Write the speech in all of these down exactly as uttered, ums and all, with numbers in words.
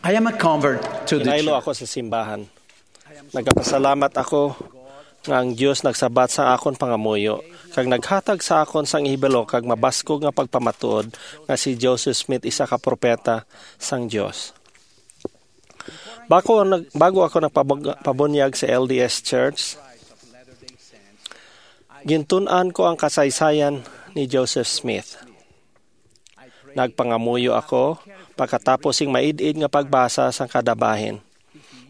I am a convert to the Hinaylo church. Ako sa simbahan. Nagapasalamat ako nga ang Dios nagsabat sa akon pangamuyo, kag naghatag sa akon sang ihibalo kag mabaskog nga pagpamatuod nga si Joseph Smith isa ka propeta sang Dios. Bago, nag, bago ako nagpabunyag sa L D S Church, gintun-an ko ang kasaysayan ni Joseph Smith. Nagpangamuyo ako pagkatapos sing maid-id nga pagbasa sang kada bahin.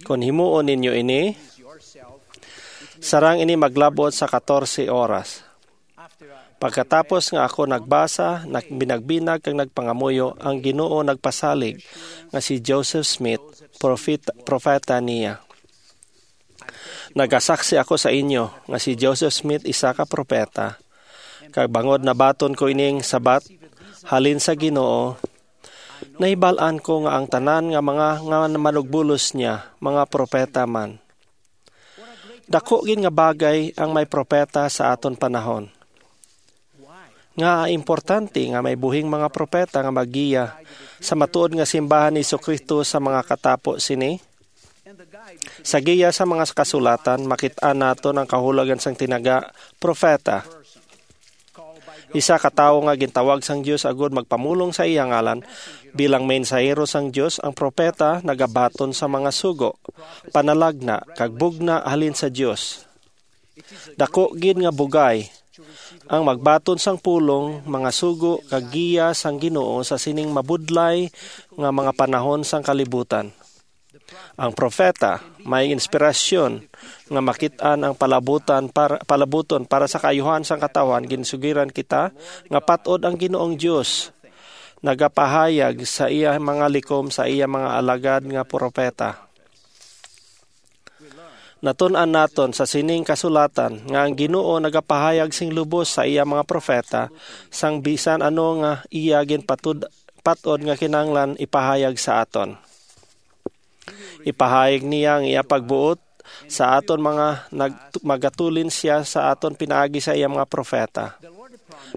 Kon himuon ninyo ini, sarang ini maglabot sa katorse oras. Pagkatapos nga ako nagbasa, nagbinagbinag kag nagpangamuyo, ang Ginoo nagpasalig nga si Joseph Smith, prophet, propeta niya. Nagasaksi ako sa inyo nga si Joseph Smith isa ka propeta, kag bangod nabaton ko ining sabat halin sa Ginoo, nahibal-an ko nga ang tanan nga mga nga manugbulos niya mga propeta man. Dako gid nga bagay ang may propeta sa aton panahon. Nga importante nga may buhing mga propeta nga maggiya sa matuod nga simbahan ni Jesu-Cristo sa mga katapo sini. Sa giya sa mga kasulatan, makit-an naton ang kahulogan sang tinaga propeta. Isa ka tawo nga gintawag sang Dios agud magpamulong sa iya ngalan bilang mensahero sang Dios, ang propeta nagabaton sa mga sugo, panalagna, kag bugna halin sa Dios. Dako gid nga bugay ang magbaton sang pulong, mga sugo, kag giya sang Ginoo sa sining mabudlay nga mga panahon sang kalibutan. Ang propeta may inspirasyon nga makit-an ang palabutan para, palabuton para sa kaayuhan sang katawhan. Ginsugiran kita nga pat-od ang Ginoong Dios nagapahayag sa iya mga likom sa iya mga alagad nga propeta. Natun-an naton sa sining kasulatan nga ang Ginoo nagapahayag sing lubos sa iya mga propeta sang bisan ano nga iya ginpatud-, pat-od nga kinahanglan ipahayag sa aton. Ipahayag niya ang iya pagbuot sa aton mga nag-, magatulin siya sa aton pinaagi sa iya mga propeta.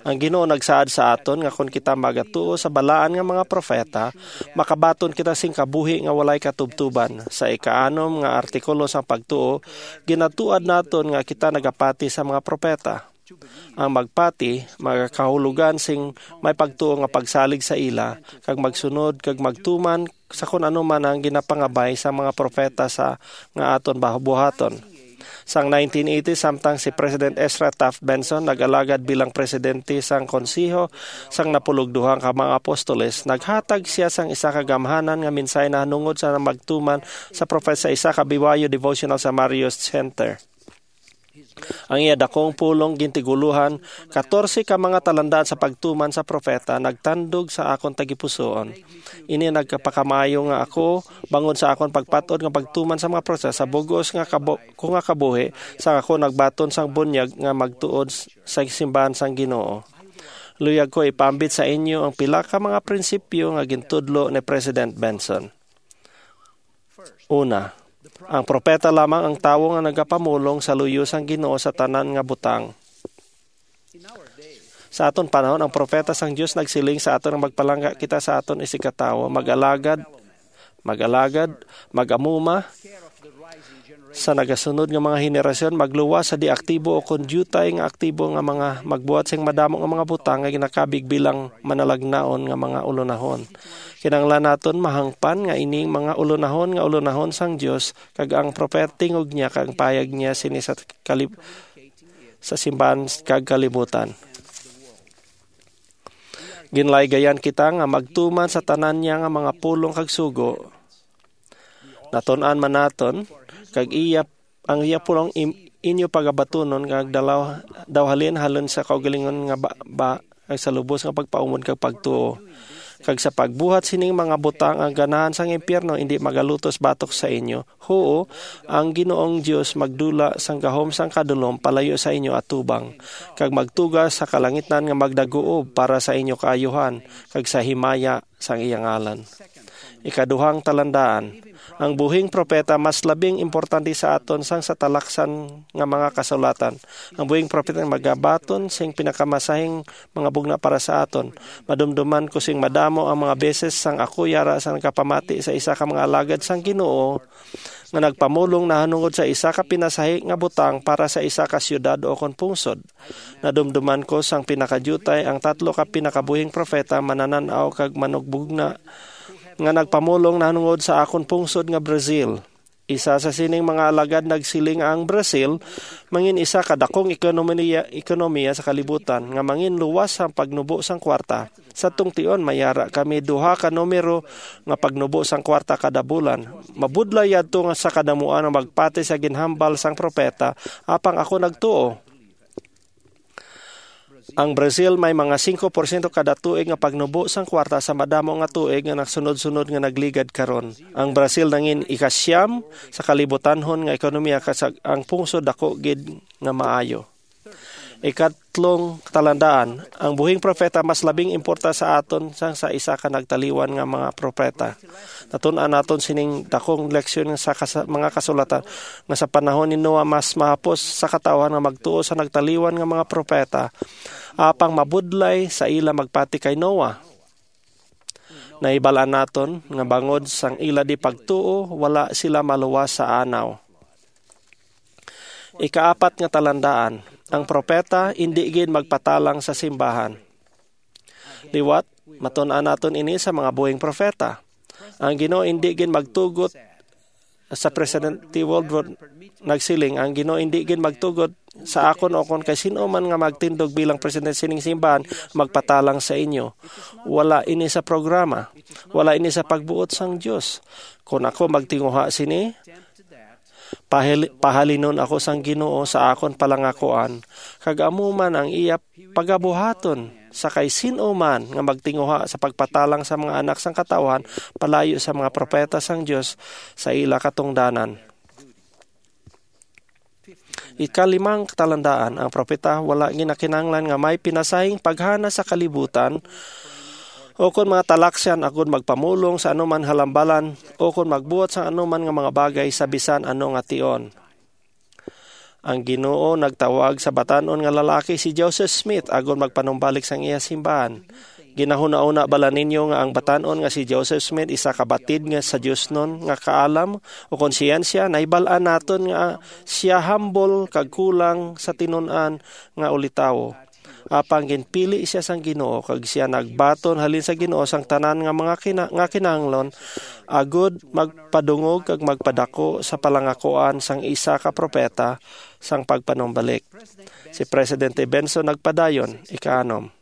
Ang Ginoo nagsaad sa aton nga kon kita magatuo sa balaan nga mga propeta, makabaton kita sing kabuhi nga walay katubtuban. Sa ikaanom nga artikulo sang pagtuo, ginatuad naton nga kita nagapati sa mga propeta. Ang magpati magakahulugan sing may pagtuo nga pagsalig sa ila, kag magsunod kag magtuman sa kon ano man ang ginapangabay sa mga propeta sa nga aton babuhaton. Sang nineteen eighty, samtang si President Ezra Taft Benson nag-alagad bilang presidente sang Konseho sang Napulog Duha ka mga Apostoles, naghatag sia sang isa ka gamhanan nga mensahe nahanungod sa magtuman sa propeta sa isa ka B Y U devotional sa Marriott Center. Ang iya dakong pulong gintigulohan katorse ka mga talandaan sa pagtuman sa propeta nagtandog sa akon tagipusoon. Ini nagpakamaayo nga ako bangon sa akon pagpat-od nga pagtuman sa mga propeta sa bug-os nga kabo-, ko nga kabuhi, sa ako nagbaton sang bunyag nga magtuon s-, sa simbahan sang Ginoo. Luyag ko ipaambit sa inyo ang pila ka mga prinsipyo nga gintudlo ni President Benson. Una, ang propeta lamang ang tawo nga nagapamulong sa luyo sang Ginoo sa tanan nga butang. Sa aton panahon, ang propeta sang Dios nagsiling sa aton nga magpalangga kita sa aton isigkatawo, mag-alagad, mag-alagad, mag-amuma sa nagasunod nga mga henerasyon, magluwas sa di aktibo o kon diutay nga aktibo nga mga magbuhat sing madamo nga mga butang nga ginakabig bilang manalagnaon nga mga ulonahon. Kinahanglan naton mahangpan nga ining mga ulonahon nga ulonahon sang Dios, kag ang propeta tingog niya kag ang payag niya sini sa kalib-, sa simbahan kag kalibutan. Ginlaygayan kita nga magtuman sa tanan niya nga mga pulong kag sugo. Natun-an man naton, kag iya, ang iya pulong im-, inyo pagabatunon nga agdalaw daw halin halin sa kaugalingon nga ba, ba, kag sa lubos nga pagpaumon kag pagtuo. Kag sa pagbuhat sining mga butang ang ganahan sang impyerno indi magalutos batok sa inyo. Huo, ang Ginoong Dios magdula sang gahom sang kadulom palayo sa inyo atubang, kag magtuga sa kalangitnan nga magdaguob para sa inyo kaayuhan, kag sa himaya sang iya ngalan. Ikaduhang talandaan, ang buhing propeta mas labing importante sa aton sang sa talaksan nga mga kasulatan. Ang buhing propeta magabaton sing pinakamasahing mga bugna para sa aton. Madumduman ko sing madamo ang mga beses sang ako yara sa nagapamati sa isa ka mga alagad sang Ginoo nga nagpamulong nahanungod sa isa ka pinasahi nga butang para sa isa ka siyudad o kon pungsod. Nadumduman ko sang pinakadiutay ang tatlo ka pinakabuhing propeta, mananan-aw, kag manugbugna nga nagpamulong nahanungod sa akon pungsod nga Brazil. Isa sa sining mga alagad nagsiling, ang Brazil mangin isa ka dakong ekonomiya, ekonomiya sa kalibutan nga mangin luwas ang pagnubo sang kwarta. Sa tungtion, mayara kami duha ka numero nga pagnubo sang kwarta kada bulan. Mabudlay yadto nga sa kadamuan nga magpati sa ginhambal sang propeta, apang ako nagtuo. Ang Brazil may mga singko porsyento kada tuig nga pagnubo sang kwarta sa madamo nga tuig nga nagsunod-sunod nga nagligad karon. Ang Brazil nangin ikasiyam sa kalibutanhon nga ekonomiya, kag ang pungsod dako gid nga maayo. Ikatlong talandaan, ang buhing propeta mas labing importa sa aton sang sa isa ka nagtaliwan nga mga propeta. Natun-an naton sining dakong leksyon sa kas-, mga kasulatan, nga sa panahon ni Noah mas mahapos sa katawhan nga magtuo sa nagtaliwan nga mga propeta, apang mabudlay sa ila magpati kay Noah. Nahibal-an naton nga bangod sang ila di pagtuo, wala sila maluwas sa anaw. Ikaapat nga talandaan, ang propeta indi gid magpatalang sa simbahan. Liwat, matun-an naton ini sa mga buhing propeta. Ang Ginoo indi gid magtugot sa Presidente Woodruff nagsiling, "Ang Ginoo indi gid magtugot sa akon o kon kay sin-o man nga magtindog bilang presidente sining simbahan magpatalang sa inyo." Wala ini sa programa. Wala ini sa pagbuot sang Dios. Kon ako magtinguha sini, pahil-, pahalinon ako sang Ginoo sa akon palangakuan, kag amo man ang iya pagabuhaton sa kay sin-o man nga magtinguha sa pagpatalang sa mga anak sang katawhan palayo sa mga propeta sang Dios sa ila katungdanan. Ikalimang talandaan, ang propeta wala ginakinahanglan nga may pinasahing paghana sa kalibutan o kon mga talaksan agud magpamulong sa anuman halambalan o kon magbuhat sa anuman nga mga bagay sa bisan ano nga tion. Ang Ginoo nagtawag sa batan-on nga lalaki si Joseph Smith agud magpanumbalik sang iya simbahan. Ginahuna-una bala ninyo nga ang batan-on nga si Joseph Smith isa ka batid nga sa diosnon nga kaalam o kon siyensya? Nahibal-an naton nga sia humble kag kulang sa tinun-an nga ulitawo. Apang ginpili sia sang Ginoo, kag sia nagbaton halin sa Ginoo sang tanan nga mga kina-, nga kinahanglan, agud magpadungog kag magpadako sa palangakuan sang isa ka propeta sang pagpanumbalik. Si Presidente Benson nagpadayon, ikaanom,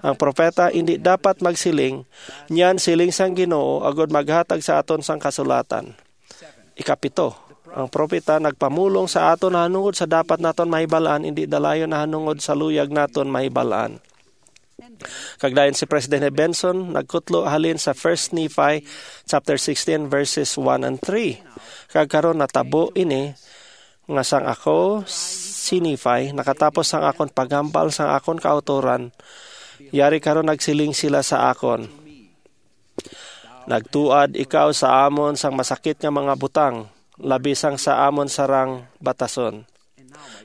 ang propeta indi dapat magsiling, "Niyan siling sang Ginoo," agud maghatag sa aton sang kasulatan. Ikapito, ang propeta nagpamulong sa aton nahanungod sa dapat naton mahibal-an, indi dalayon nahanungod sa luyag naton mahibal-an. Kag dayon si Presidente Benson nagkutlo halin sa First Nephi chapter sixteen, verses one and three. Kag karon natabo ini nga sang ako, si Nephi, nakatapos sang akon paghambal sang akon kautoran, yari karon nagsiling sila sa akon, "Nagtuad ikaw sa amon sang masakit nga mga butang, labi sang sa amon sarang batason."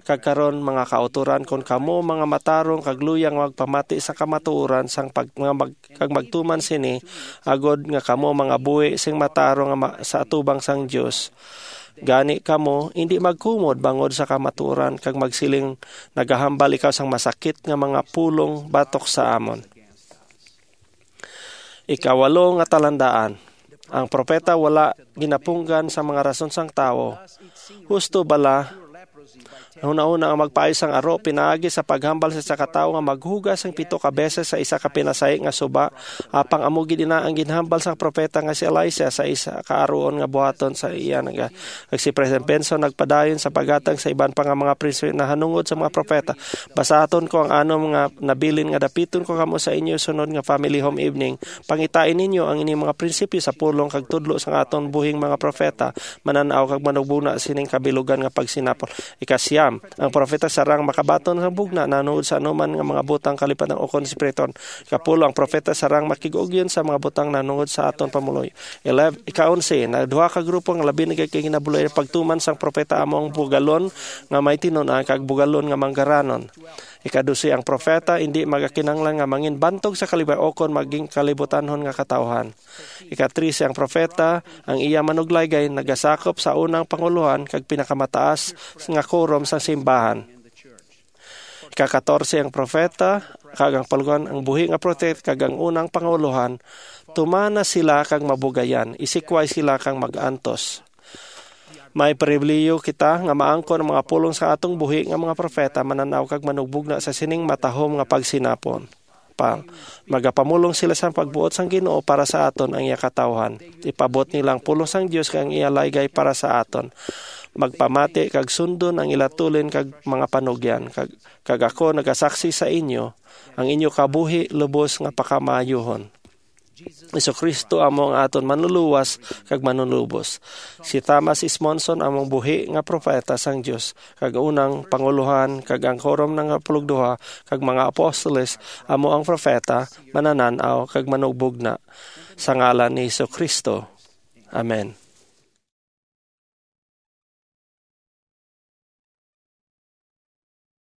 Kag karon, mga kautoran, kon kamo mga matarong kag luyang magpamati sa kamatuoran sang pag-, nga mag-, kag magtuman sini, agod nga kamo mga buhi sing matarong nga ma-, sa atubang sang Dios, gani kamo indi magkumod bangod sa kamatuoran kag magsiling, "Nagahambal ikaw sang masakit nga mga pulong batok sa amon." Ikawalo nga talandaan, ang propeta wala ginapunggan sa mga rason sang tawo. Husto bala, hunahuna ang magpaayos sang aro pinaagi sa paghambal sa isa ka tawo nga maghugas sang pito ka beses sa isa ka pinasahi nga suba, apang amo gid ina ang ginhambal sang propeta nga si Elisha sa isa ka aruon nga buhaton sa iya naga-, kag si President Benson nagpadayon sa paghatag sa iban pa nga mga prinsipyo nahanungod sa mga propeta. Basaton ko ang anom nga nabilin nga dapiton ko kamo sa inyo sunod nga family home evening. Pangitai ninyo ang ining mga prinsipyo sa pulong kag tudlo sang aton buhing mga propeta, manan-aw kag manugbugna sining kabilugan nga pagsinapol. Ikasiyam, Ang propeta sarang makabaton sang bugna nahanungod sa anuman nga mga butang kalipatan ukon espiriton. Kapulo, ang propeta sarang makig-ugyon sa mga butang nahanungod sa aton pamuloy. Eleven, ika-onse, na duha ka grupo nga labi na gid kay ginabulay pagtuman sang propeta amo ang bugalon nga may tinun-an kag bugalon nga manggaranon. Ika-dose, ang propeta indi magakinahanglan nga mangin bantog sa kalibay ukon maging kalibutanhon nga katawhan. Ika-trese, ang propeta, ang iya manuglaygay nagasakop sa unang pangulohan kag pinakamataas nga korom sang simbahan. Ika-katorse, ang propeta kag ang palugan, ang buhi nga propeta kag ang unang pangulohan, tumana sila kag mabugayan, isikway sila kag mag-antos. May pribilehiyo kita nga maangkon ang mga pulong sa atong buhi nga mga propeta, manan-aw kag manugbugna sa sining matahom nga pagsinapon. Pa, magapamulong sila sa pagbuot sang Ginoo para sa aton ang iya katawhan. Ipabot nila ang pulong sang Dios kag ang iya laygay para sa aton. Magpamati kag sundon ang ila tulin kag mga panugyan, kag, kag ako nagasaksi sa inyo, ang inyo kabuhi lubos nga pakamaayohon. Jesu-Cristo amo ang aton Manluluwas kag Manunubos. Si Thomas S. Monson amo ang buhi nga propeta sang Dios, kag unang pangulohan, kag ang korom nga pulugduha kag mga apostoles amo ang propeta, mananan-aw, kag manugbugna. Sa ngalan ni Jesu-Cristo. Amen.